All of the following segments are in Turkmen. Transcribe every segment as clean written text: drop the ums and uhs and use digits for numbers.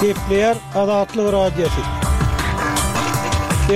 Gepleýär Azatlyk Radiosy.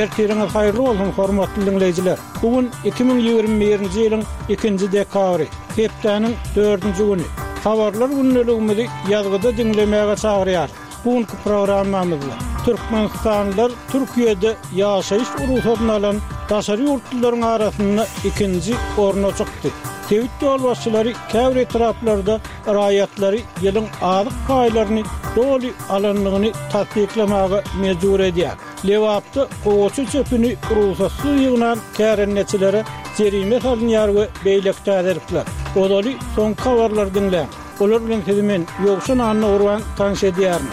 Ertiriňiz haýyrly bolsun, hormatly diňleýjiler! Bu gün 2021-nji ýylyň ikinji dekabry, hepdäniň dördünji güni. Habarlar gündeligimizi ýazgyda diňlemäge çagyrýarys. Bu günki programmamyzda türkmenistanlylar Türkiýede ýaşaýyş rugsadyny alan daşary ýurtlularyň arasynda ikinji orna çykdy. Sebit ýolbaşçylary käbir etraplarda raýatlary ýylyň azyk paýlaryny doly alandygyny tassyklamaga mejbur edýär. Lebapda gowaça çöpüni rugsatsyz ýygnan kärendeçilere jerime salynýar we beýleki täzelikler. Ozaly soňky habarlary diňläň. Olar bilen sizi men, Ýowşan Annagurban tanyş edýärin.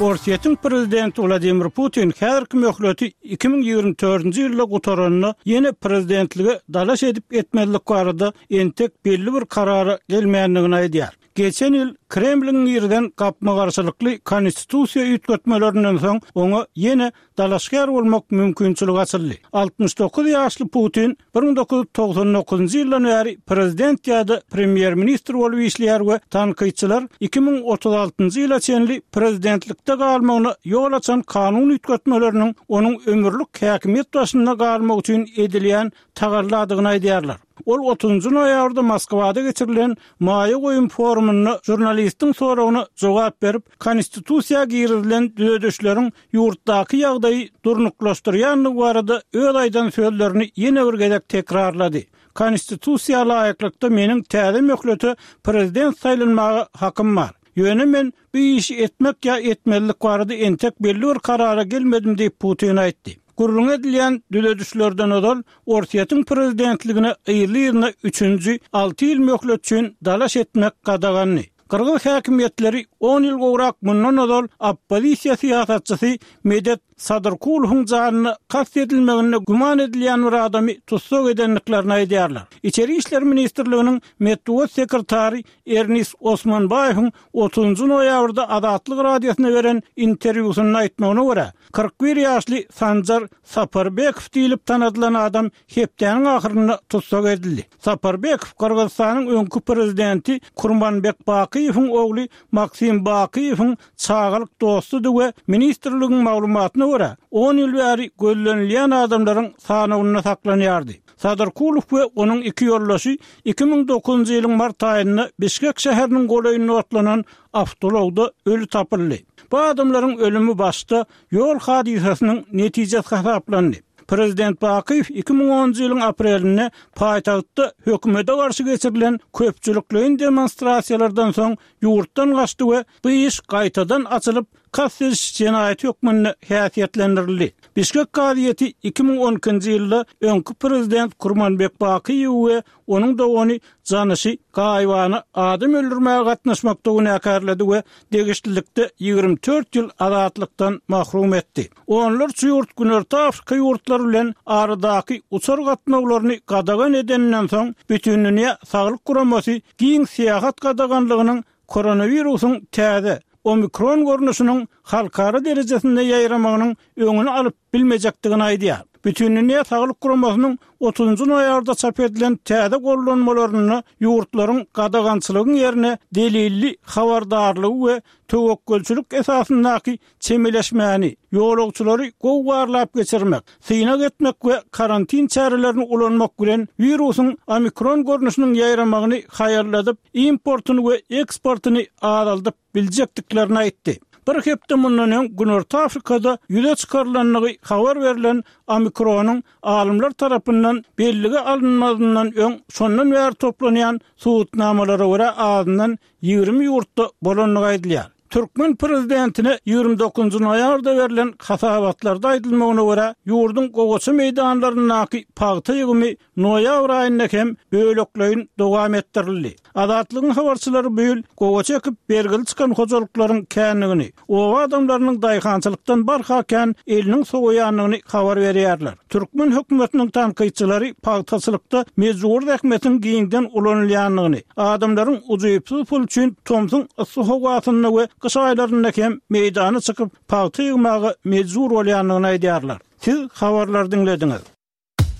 Orsýetiň prezidenti Wladimir Putin häzirki möhleti 2024-nji ýylda gutaranda ýene prezidentlige dalaş edip-etmezlik barada entek belli bir karara gelmändigini aýdýar. Geçen ýyl Kremliň girizen gapma-garşylykly konstitusiýa üýtgetmelerinden soň oňa ýene dalaşgär bolmak mümkinçiligi açyldy. 69 ýaşly Putin 1999-njy ýyldan bäri prezident ýa-da premýer-ministr bolup işleýär we tankytçylar 2036-njy ýyla çenli prezidentlikde galmagyna ýol açan kanun üýtgetmeleriniň onuň ömürlik häkimiýet başynda galmagy üçin edilýän tagalladygyny aýdýarlar. Ol otuzynjy noýabrda Moskwada geçirilen maýa goýum forumynda žurnalistiň soragyna jogap berip, Konstitusiýa girizilen düzedişleriň ýurtdaky ýagdaýy durnuklaşdyrýandygy barada öz aýdan sözlerini ýene bir gezek tekrarlady, Konstitusiýa laýyklykda meniň täze möhlete prezident saýlanmaga hakym bar. Ýöne men bu işi etmek ýa etmezlik barada entek belli bir karara gelmedim diýip, Putin aýtdy. Gürrüňi edilýän düzedişlerden ozal Orsýetiň prezidentligine yzly-yzyna üçünji alty ýyl möhlet üçin dalaş etmek gadagandy. Gyrgyz häkimiýetleri on ýyl gowrak mundan ozal oppozisiýa syýasatçysy Medet Sadyrkulowyň janyna kast edilmeginde güman edilýän bir adamy tussag edendiklerini aýdýarlar. Içeri işler ministrliginiň metbugat sekretary Ernis Osmanbaýewiň otuzynjy noýabrda Azatlyk Radiosyna beren interwýusynda aýtmagyna görä, 41 ýaşly Sanjar Saparbekow diýlip tanadylan adam hepdäniň ahyrynda tussag edildi. Saparbekow Gyrgyzystanyň öňki prezidenti Kurmanbek Bakyýewiň ogly Maksim Bakyýewiň çagalyk dostudy we ministrligiň maglumatyna görä, on ýyl bäri gözlenilýän adamlaryň sanawynda saklanýardy. Sadyrkulow we onuň iki ýoldaşy 2009-njy ýylyň mart aýynda Bişkek şäheriniň golaýynda otlanan awtoulagda öli tapyldy. Bu adamlaryň ölümi başda ýol hadysasynyň netijesi hasaplandy. Prezident Bakyýew 2010-njy ýylyň aprelinde paýtagtda hökümete garşy geçirilen köpçülikleýin demonstrasiýalardan soň ýurtdan gaçdy we bu iş gaýtadan açylyp, kast ediş jenaýaty hökmünde häsiýetlendirildi. Bişkek kazyýeti 2012-nji ýylda öňki prezident Kurmanbek Bakyýewi we onuň dogany Janyşy gaýybana adam öldürmäge gatnaşmakda günäkärledi we degişlilikde 24 ýyl azatlykdan mahrum etdi. Onlarça ýurt Günorta Afrika ýurtlary bilen aradaky uçar gatnawlaryny gadagan edeninden soň, Bütindünýä Saglyk Guramasy giň syýahat gadaganlygynyň koronawirusyň täze, omikron görnüşiniň halkara derejesinde ýaýramagynyň öňüni alyp bilmejekdigini aýdýar. Bütindünýä Saglyk Guramasynyň otuzynjy noýabrda çap edilen täze gollanmalarynda ýurtlaryň gadagançylygyň ýerine delilli habardarlygy we töwekgelçilik esasyndaky çemeleşmäni, ýolagçylary gowy barlap geçirmek, synag etmek we karantin çärelerini ulanmak bilen wirusyň omikron görnüşiniň ýaýramagyny haýalladyp, importyny we eksportyny azaldyp biljekdiklerini aýtdy. Bir hepde mundan öň Günorta Afrikada ýüze çykarylandygy habar berlen omikronyň alymlar tarapyndan bellige alynmazyndan öň şondan bäri toplanýan subutnamalara görä azyndan 20 ýurtda bolandygy aýdylýar. Türkmen prezidentine 29 noýabrda berlen hasabatlarda aýdylmagyna görä, ýurduň gowaça meýdanlaryndaky pagta ýygymy noýabr aýynda hem bölekleýin dowam etdirildi. Azatlygyň habarçylary bu ýyl gowaça ekip bergili çykan hojalyklaryň kändigini, oba adamlarynyň daýhançylykdan barha kän eliniň sowaýandygyny habar berýärler. Türkmen hökümetiniň tankytçylary pagtaçylykda mejbury zähmetiň giňden ulanylýandygyny, adamlaryň ujypsyz pul üçin tomsuň yssy howasynda we gyş aýlarynda hem meýdana çykyp pagta ýygmaga mejbur bolýandygyny aýdýarlar. Siz habarlary diňlediňiz.